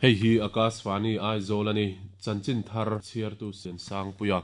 Hei hi Akashvani Aizawl a ni, chanchin thar chhiartu Sensangpuia.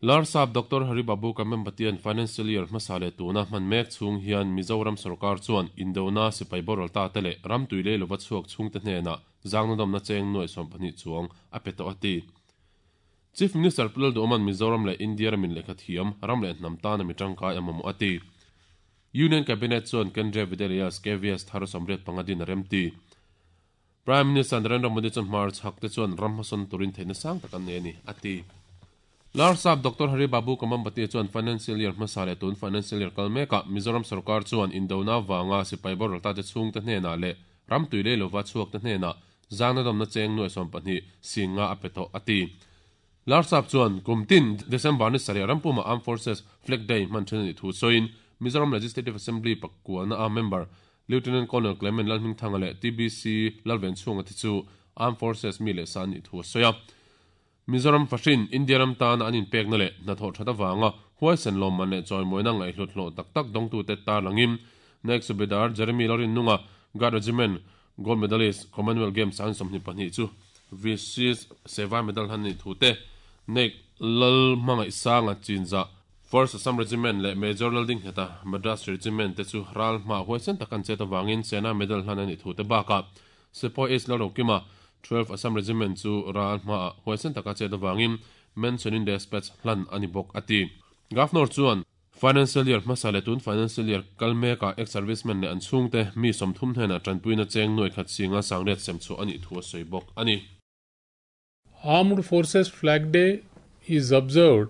Larsap Doctor Hari Babu Kamembatian Financial Year hmasa leh tuna hman mek chhung hian Mizoram sawrkar chuan Indona sipai boral ta te leh ram tui lei lova chhuak chhungte hnenah zangnadawmna cheng nuai 12 chuang a pe tawh a ti. Chief Minister Pu Lalduhawma'n Mizoram leh India ramin lehkha thiam, ram leh hnam tana mi tangkai a mamawh a ti. Union Cabinet chuan Kendriya Vidyalayas, KVS, thar 85 din a remti. Prime Minister Narendra Modi chuan hmarchhak te chuan ram hmasawn turin theihna sang tak an nei a ni, a ti. Larsap Doctor Hari Babu Kamambati chuan Financial Year hmasa leh tun Financial Year kal mekah Mizoram sorkar chuan indona vanga sipai boral tate chhungte hnenah leh ram tui lei lova chhuakte hnenah zangnadawmna cheng nuai 12 singa a pe tawh, a ti. Larsap chuan kum tin December ni sarih rampuma Armed Forces Flag Day hman then a nih thu sawiin Mizoram Legislative Assembly pakuana a member Lieutenant Colonel Clement Lalhmingthanga leh TBC Lalvenchhunga te chu Armed Forces mi leh sa an nih thu a sawi a. Mizoram fahrin India ram tana an inpekna leh hnathawh that avanga huaisen lawmman leh chawimawina ngaihhlut hlawh tak tak dawngtute tarlangin Naik Subedar Jeremy Lalrinnunga Guard Regiment Gold Medalist Commonwealth Games an 22 chu Vishisht Seva Medal han nih thu te Naik Lalhmangaihsanga Chinzah First Assam Regiment leh Major Laldingheta Madras Regiment te chu ral hma huaisen tak an chet avangin Sena Medal hlan a nih thu te bakah Sepoy H Lalrokima 12 Assam Regiment chu ral hmaah huaisen taka chet avangin Mention in Despatch hlan a ni bawk a ti. Governor chuan Financial Year hmasa leh tun Financial Year kal mekah ex-servicemen leh an chhungte mi 30 hnenah tanpuina cheng nuai khat singa sangriat sem chhuah a nih thu a sawi bawk a ni. Armed Forces Flag Day is observed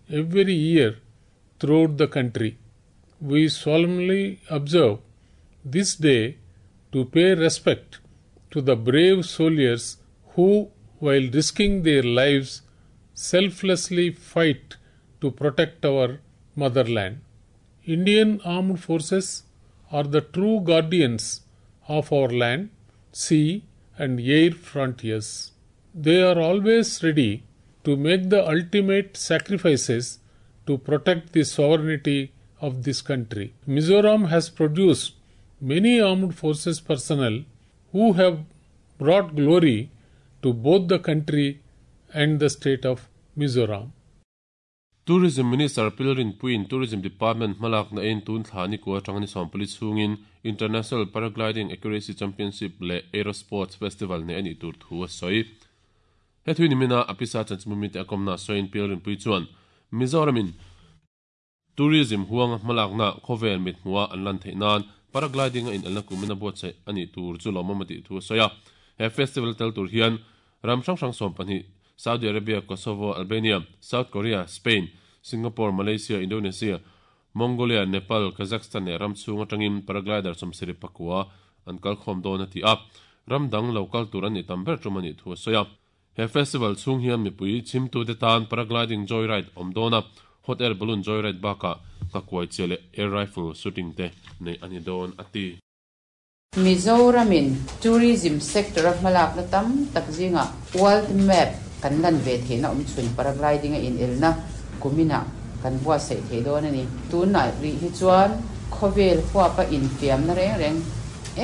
every year throughout the country. We solemnly observe this day to pay respect to the brave soldiers who, while risking their lives, selflessly fight to protect our motherland. Indian Armed Forces are the true guardians of our land, sea, and air frontiers. They are always ready to make the ultimate sacrifices to protect the sovereignty of this country. Mizoram has produced many armed forces personnel who have brought glory to both the country and the state of Mizoram. Tourism Minister Pi Lalrinpuiin Tourism Department hmalakna eiin tun thla ni kua atanga ni 40 chhungin International Paragliding Accuracy Championship leh Aero Sports Festival neih a nih tur thu a sawi. He thui nimina a pisa chanchinbumi te a kawmna sawiin Pi Lalrinpui chuan Mizoramin Tourism huanga hmalakna khawvel mit hmuha an lan theih nan Paragliding a inelna kumin a buatsaih a nih tur chu lawmawm a tih thu a sawi a. He festival tel tur hian ram hrang hrang 12 Saudi Arabia, Kosovo, Albania, South Korea, Spain, Singapore, Malaysia, Indonesia, Mongolia, Nepal, Kazakhstan leh ram chhung atangin paraglider 74 an kal khawm dawn a ti a. Ram dang lo kal tur an nih tam ber tum a nih thu a sawi a. He festival chhung hian mipui chhimtute tan paragliding joyride awm dawn a, hot air balloon joyride bakah nghakuai chiah leh air rifle shooting te neih a ni dawn a ti. Mizoramin tourism sector a hmalakna tam tak zingah world map kan lan ve theihna awm chhun paragliding a inelna kuminah kan buatsaih thei dawn a ni. Tunah rih hi chuan khawvel huapa infiamna reng reng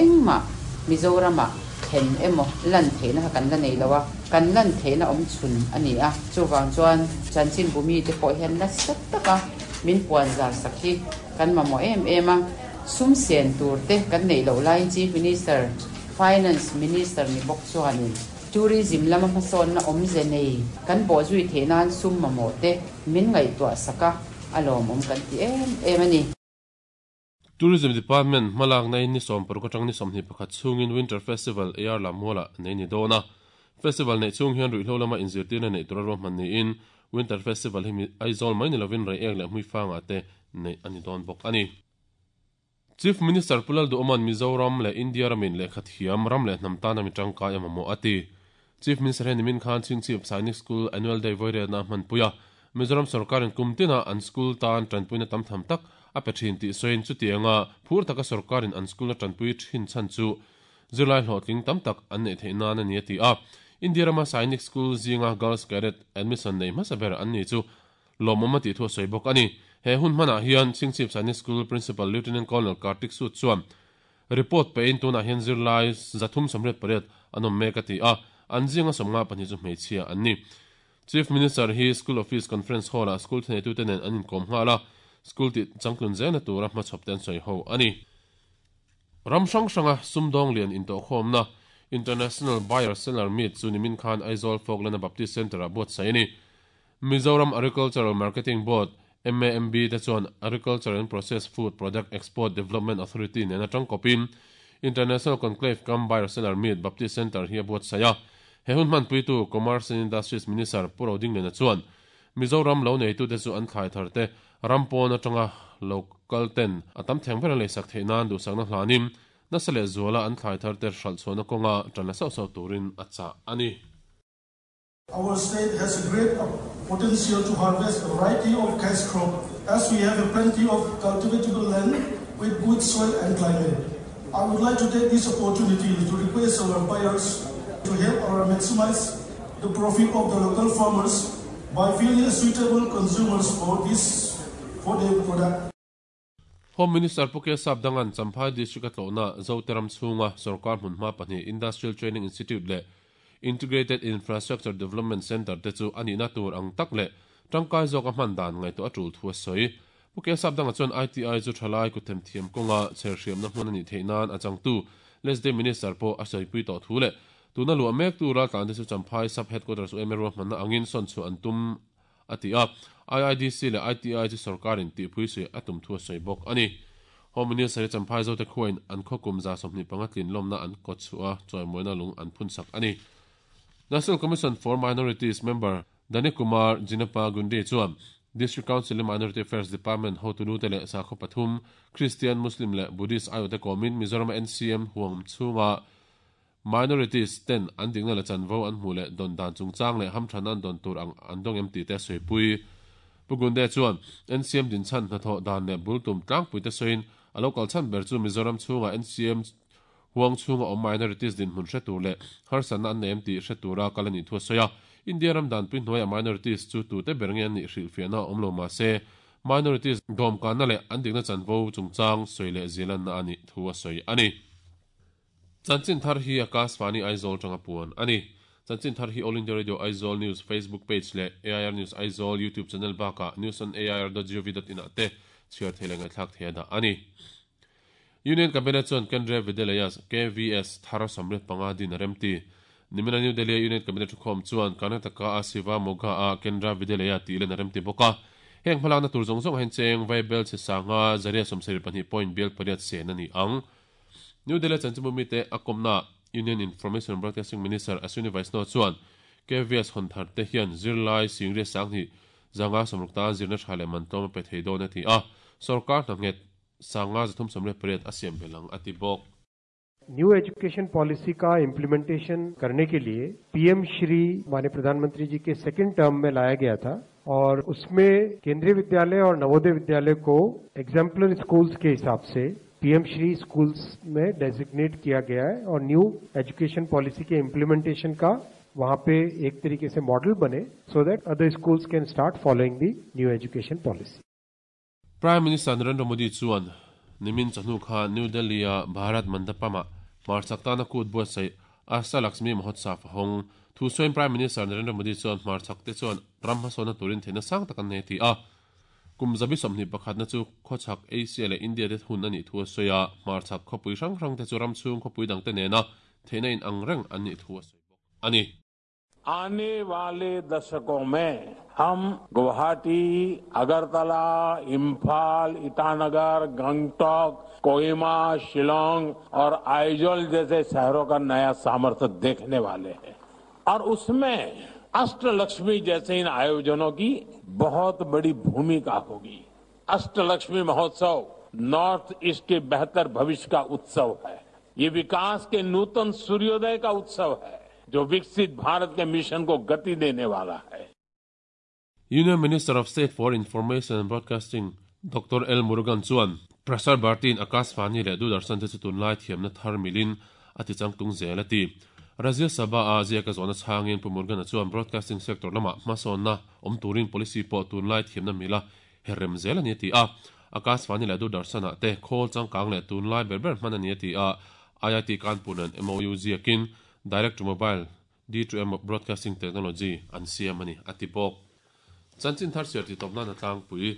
engmah Mizoramah thlen emaw lan theihna kha kan la nei lo a, kan lan theihna awm chhun a ni a. Chuvang chuan chanchinbu mite pawh hian nasa taka min puan zar sak hi kan mamawh em em a. Sum sen tur te kan neih loh laiin Chief Minister, Finance Minister ni bawk chuanin Tourism lama hmasawnna awmze nei kan bawhzui theih nan sum mamawh te min ngaihtuah sak a, a lawmawm kan ti em em a ni. Tourism Department hmalakna in ni 60 atang ni 21 chhungin Winter Festival AR Lammualah nei ni dawn a. Festival neih chhung hian ruihhlo lama inzirtirna neih tura ruahman niin Winter Festival hi Aizawl mai ni lovin Reiek leh Hmuifangah te neih a ni dawn bawk a ni. Chief Minister Pu Lalduhawma'n Mizoram leh India ramin lehkha thiam ram leh hnam tana mi tangkai a mamawh a ti. Chief Minister hian nimin khan Chhingchhip Sainik School Annual Day vawiriatna a hmanpui a, Mizoram sorkarin kum tina an school tan tanpuina tam tham tak a pe thin tih sawiin chutianga phur taka sorkarin an school a tanpui thin chhan chu zirlai hlawhtling tam tak an neih theih nan a ni a ti a. India rama Sainik School zinga Girls Cadet admission nei hmasa ber an ni chu lawmawm a tih thu a sawi bawk a ni. He hun hmanah hian Chhingchhip Sainik School Principal Lieutenant Colonel Kartik Sood chuan report pein tunah hian zirlai 388 an awm mek a ti a, an zinga 52 chu hmeichhia an ni. Chief Minister hi School Office Conference Hall-ah school thuneitute nen an inkawm nghal a, school tih changtlun zelna tura hmachhawp te an sawi ho a ni. Ram hrang hranga sumdawng lian intawhkhawmna International Buyer Seller Meet chu nimin khan Aizawl Folklana Baptist Centre-ah buatsaih a ni. Mizoram Agricultural Marketing Board, MAMB, te chuan Agriculture and Processed Food Product Export Development Authority nena tangkawpin International Conclave cum Buyer Seller Meet Baptist Centre hi a buatsaih a. He hun hmanpuitu Commerce and Industries Minister Pu Rodingliana chuan Mizoram lo neitute chu an thlai thar te ram pawn atanga lo kal ten a tam theng ber an leisak theih nan duhsakna hlanin nasa leh zuala an thlai thar te hralh chhuahna kawnga tan la sauh sauh turin a chah a ni. Our state has a great potential to harvest a variety of cash crop as we have a plenty of cultivatable land with good soil and climate. I would like to take this opportunity to request our buyers to help our maximize the profit of the local farmers by finding suitable consumers for this for their product. Home Minister Pu K Sapdangan Champhai District a tlawhna Zote ram chhunga sorkar hmunhma pahnih Industrial Training Institute leh Integrated Infrastructure Development Centre te chu a nihna tur ang tak leh tangkai zawka hman dan ngaihtuah a tul thu a sawi. Pu K Sapdanga chuan ITI chu thalai kuthem thiam kawnga chherhriamna hmun a nih theih nan a changtu Lesde Minister pawh a sawipui tawh thu leh tuna luah mek tu raltlan te chu Champhai Sub Headquarters UMA ruahmanna angin sawn chhuah an tum a ti a. IIDC leh ITI chu sorkarin tihpui suih a tum thu a sawi bawk a ni. Home Minister hi Champhai Zote khuain an khawkum 25 tlin lawmna an kawt chhuah a, chawimawina lung an phunsak a ni. National Commission for Minorities member Dani Kumar Jinappa Gundi chuan District Council-i Minority Affairs Department hotu te leh sakhaw pathum, Christian, Muslim leh Buddhist aiawhte kawmin Mizoram-a NCM huang chhunga Minorities ten an dikna leh chanvo an hmuh leh dawn dan chungchang leh hamthan an dawn tur ang an dawng em tih te a sawipui. Pu Gunde chuan NCM dinchhan hnathawh dan leh bul tum tlangpui te sawiin a lo kal chhan ber chu Mizoram chhunga NCM huang chhunga awm minorities dinhmun hre tur leh harsatna an nei em tih hre tura kal a nih thu a sawi a. India ram danpui hnuaiah minorities chu tute ber nge an nih hrilhfiahna a awm lo mahse minorities dawmkanna leh an dikna chanvo chungchang sawi leh zialanna a nih thu a sawi a ni. Chanchin thar hi Akashvani Aizawl tanga puan a ni. Chanchin thar hi All India Radio Aizawl News Facebook page leh AIR News Aizawl YouTube channel bakah newsonair.gov.in ah te chhiar thei leh ngaihthlak thei a dah a ni. Union Cabinet chuan Kendriya Vidyalayas, KVS, thar 75 din a remti. Nimina New Delhi-a Union Cabinet thukhawm chuan Karnataka-a Siva Moga-a Kendra Vidyalaya tih len a remti bawk a. Heng hmalakna tur zawng zawng ah hian cheng Vaibel chhe sanga zaria 72 point bial pariat sen a ni ang. New Delhi chanchinbu mite a kawmna Union Information and Broadcasting Minister Ashwini Vaishnaw chuan KVS hawn thar te hian zirlai singria sanghnih zanga sawmruk tan zirna tha leh man tlawm a pe thei dawn a ti a, sorkar hna nghet sanga 388 a siam belh ang a ti bawk. New education policy का implementation करने के लिए PM Shri माननीय प्रधानमंत्री जी के second term में लाया गया था और उसमें केंद्रीय विद्यालय और नवोदय विद्यालय को एग्जाम्पलर स्कूल्स के हिसाब से पीएम श्री स्कूल्स में डेजिग्नेट किया गया है और new education policy के इम्प्लीमेंटेशन का वहां पे एक तरीके से मॉडल बने so that other schools can start following the new education policy. Prime Minister Narendra Modi chuan nimin chawhnu khan New Delhi-a Bharat Mandapam-ah hmarchak tana kut buatsaih Asta Lakshmi Mahotsav a hawng. Thu sawiin Prime Minister Narendra Modi chuan hmarchak te chuan ram hmasawnna turin theihna sang tak an nei a ti a. Kum zabi sawmhnih pakhatna chu khawchhak Asia leh India te hun a nih thu a sawi a, hmarchak khawpui hrang hrang te chu ram chhung khawpui dang te nena theihna in ang reng an nih thu a sawi bawk a ni. आने वाले दशकों में हम गुवाहाटी, अगरतला, इम्फाल, ईटानगर, गंगटोक, कोहिमा, शिलोंग और आइजोल जैसे शहरों का नया सामर्थ्य देखने वाले हैं और उसमें अष्टलक्ष्मी जैसे इन आयोजनों की बहुत बड़ी भूमिका होगी। अष्टलक्ष्मी महोत्सव नॉर्थ ईस्ट के बेहतर भविष्य का उत्सव है। ये विकास के नूतन सूर्योदय का उत्सव है जो विकसित भारत के मिशन को गति देने वाला है। Union Minister of State for Information and Broadcasting Doctor L Murugan chuan Prasar Bharati-in Akashvani leh Doordarshan te chu tunlai thiamna thar milin a ti changtung zel a ti. Rajya Sabha-a ziaka zawhna chhangin Pu Murugan-a chuan broadcasting sector lamah hmasawnna awm turin policy pawh tunlai thiamna mila her rem zel a ni a ti a. Akashvani leh Doordarshan-ah te khawl changkang leh tunlai ber ber hman a ni a ti a. IIT Kanpur nen MOU ziakin Direct to Mobile, D2M, Broadcasting Technology an siam a ni a ti bawk. Chanchin thar chhiar tih tawp nan a tlangpui.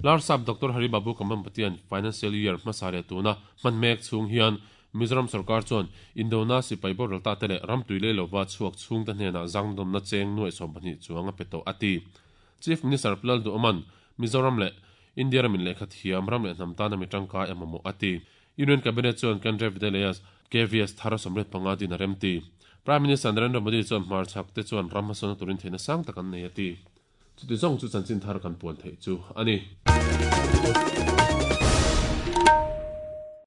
Larsap Doctor Hari Babu Kambhampatian Financial Year hmasa leh tuna hman mek chhung hian Mizoram sorkar chuan Indona sipai boral ta te leh ram tui lei lova chhuak chhungte hnenah zangdawmna cheng nuaih 12 chuang a pe tawh a ti. Chief Minister Pu Lalduhawman Mizoram leh India ramin lehkha thiam ram leh hnam tana mi tangkai a mamawh a ti. Union Cabinet chuan Kendriya Vidyalayas, KVS, thar 35 din a remti. Prime Minister Narendra Modi chuan hmarchhak te chuan ram hmasawnna turin theihna sang tak an nei a ti. Chuti zawng chu chanchin thar kan puan theih chu a ni.